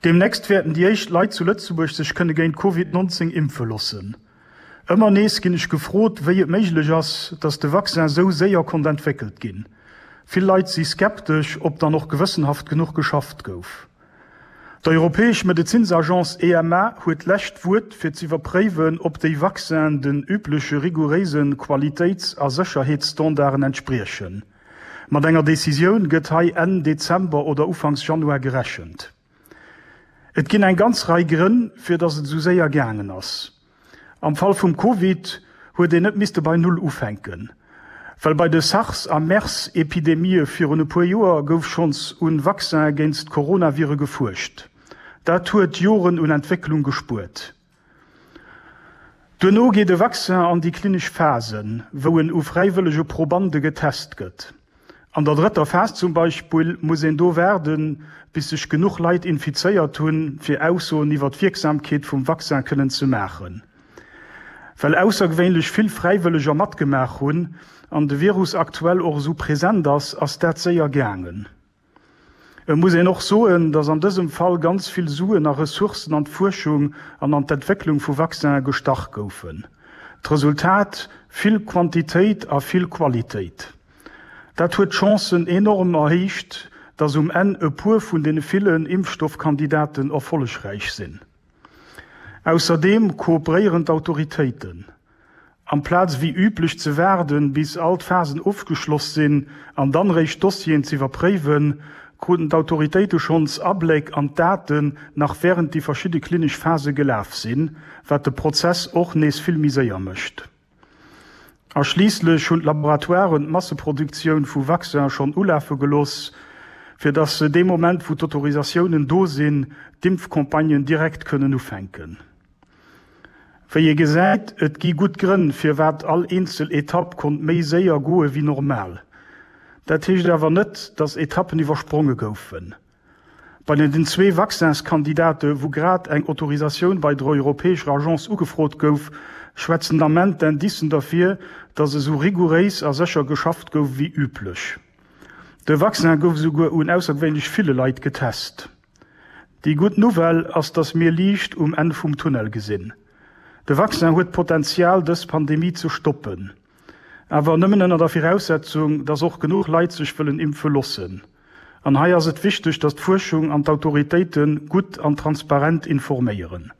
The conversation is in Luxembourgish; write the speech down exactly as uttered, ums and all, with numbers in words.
Deemnächst wäerten déi éischt Leit zu Lëtzebuerg sech kënne géint Covid nonzéng impfe loossen. Ëmmer nees ginn ech gefrot, wéi et méiglech ass, datt de Vaccin esou séier konnt entwéckelt ginn. Vill Leit si skeptesch, ob dann och gewëssenhaft genuch geschafft gouf. D'Europäesch Medezinsagence E M A huet d'lescht Wuert fir z'iwwerpréiwen, ob déi Vaccinen den übleche rigouréise Qualitéits a Sécherheetsstandarden entspriechen. Mat enger Decisioun gëtt hei Enn Dezember oder Ufanks Januar gerechent. Et ginn eng ganz Rei Grënn, fir datt et esou séier gaangen ass. Am Fall vum Covid huet een net misste bei Null ufänken. Well bei de SARS a MERS-Epidemië virun e puer Joer gouf schonns un Vaccine géinst d'Coronavire gefuerscht. Dat huet Joren un Entwécklung gespuert. Duerno geet e Vaccin an déi klinesch Phasen, wou en u fräiwëllege Probande getest gëtt. An der drëtter Phas zum Beispill muss een do waarden, bis sech genuch Leit infizéiert hunn, fir Aussoen iwwer d'Wierksamkeet vum Vaccin kënnen ze maachen. Well aussergewéinlech vill Fräiwëlleger matgemaach hunn an de Virus aktuell och esou present ass, ass dat séier gaangen. Et muss een och soen, dass an dësem Fall ganz vill Suen a Ressourcen an d'Fuerschung an an d'Entwécklung vu Vaccinen gestach goufen. D'Resultat, vill Quantitéit a vill Qualitéit. Dat huet d'Chancen enorm erhéicht, dass um Enn e puer vun deene villen Impfstoffkandidaten erfollegräich sinn. Ausserdeem kooperéieren d'Autoritéiten. Amplaz wéi üblech ze waarden, bis all d'Phasen ofgeschloss sinn an dann réischt d'Dossieren z'iwwerpréiwen, kruten d'Autoritéite schonns Abléck an d'Daten, nach wärend déi verschidde klinesch Phase gelaf sinn, wat de Prozess och nees vill méi séier mécht. A schliisslech hunn d'Laboratoiren d'Masseproduktioun vu Vaccinen schonn ulafe gelooss, fir dass se dee Moment, wou d'Autorisatiounen do sinn, d'Impfcampagnen direkt kënnen ufänken. Wéi ee gesäit, et gi gutt Grënn, firwat all eenzel Etapp konnt méi séier goe wéi normal. Dat heescht awer net, dass Etappen iwwerspronge goufen. Bei den zwee Vaccinskandidate, wou grad eng Autorisatioun bei der europäescher Agence ugefrot gouf, schwätzen den Ament d'Indicen derfir, datt esou rigouréis a sécher geschafft gouf wéi üblech. De Vaccin gouf esouguer un aussergewéinlech ville Leit getest. Déi gutt Nouvelle ass, datt mir Liicht um Enn vum Tunnel gesinn. De Vaccin huet d'Potenzial, dës Pandemie ze stoppen. Awer nëmmen ënner der Viraussetzung, datt och genuch Leit sech wëllen impfe loossen. An hei ass et wichteg, datt d'Fuerschung an d'Autoritéite gutt an transparent informéieren.